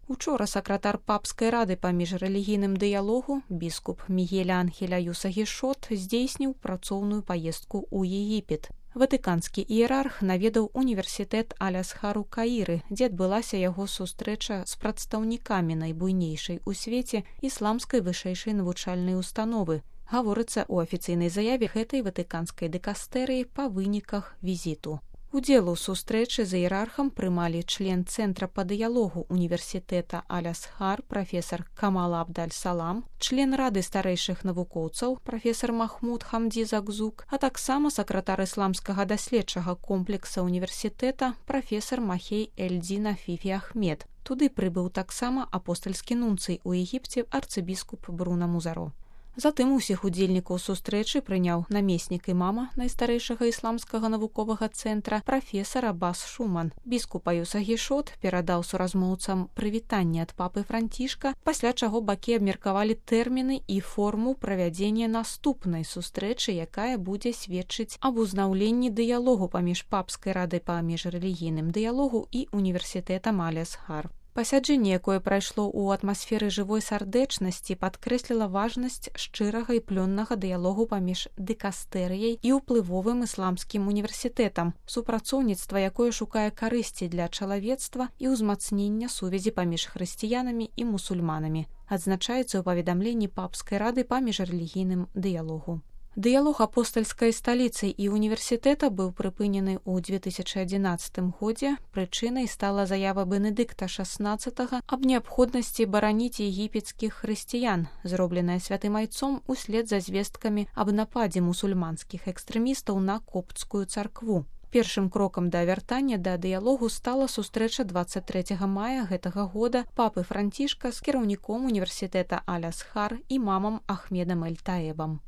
Учора сакратар папскай рады па міжрэлігійным дыялогу біскуп Мігель Анхель Аюса Гішот здзейсніў працоўную паездку ў Егіпет. Ватыканскі іерарх наведаў універсітэт Аль-Азхар у Каіры, дзе адбылася яго сустрэча з прадстаўнікамі найбуйнейшай у свеце ісламскай вышэйшай навучальнай установы. Гаворыцца ў афіцыйнай заяве гэтай ватыканскай дыкастэрыі па выніках візіту. Удзел у сустрэчы з іерархам прымалі член Цэнтра па дыялогу універсітэта Аль-Азхар прафесар Камал Абдаль-Салам, член Рады старэйшых навукоўцаў прафесар Махмуд Хамді Загзук, а таксама сакратар ісламскага даследчага комплекса універсітэта прафесар Махей Эльдзін Афіфі Ахмед. Туды прыбыў таксама апостальскі нунцый у Егіпце арцыбіскуп Бруна Музаро. Затым усіх удзельнікаў сустрэчы прыняў намеснік імама найстарэйшага ісламскага навуковага цэнтра прафесар Аббас Шуман. Біскуп Аюса Гішот перадаў суразмоўцам прывітанне ад папы Францішка, пасля чаго бакі абмеркавалі тэрміны і форму правядзення наступнай сустрэчы, якая будзе сведчыць аб узнаўленні дыялогу паміж папскай радай па міжрэлігійным дыялогу і універсітэтам Аль-Азхар. Пасяджэнне, якое прайшло ў атмасферы жывой сардэчнасці, падкрэсліла важнасць шчырага і плённага дыялогу паміж дыкастэрыяй і ўплывовым ісламскім універсітэтам, супрацоўніцтва, якое шукае карысці для чалавецтва і ўзмацнення сувязі паміж хрысціянамі і мусульманамі, адзначаецца ў паведамленні папскай рады па міжрэлігійным дыялогу. Дыялог апостальскай сталіцы і універсітэта быў прыпынены ў 2011 годзе. Прычынай стала заява Бенедыкта XVI аб неабходнасці бараніць егіпецкіх хрысціян, зробленая святым айцом услед за звесткамі аб нападзе мусульманскіх экстрэмістаў на копцкую царкву. Першым крокам да вяртання да дыялогу стала сустрэча 23 мая гэтага года папы Францішка з кіраўніком універсітэта Аль-Азхар імамам Ахмедам Эль-Таэбам.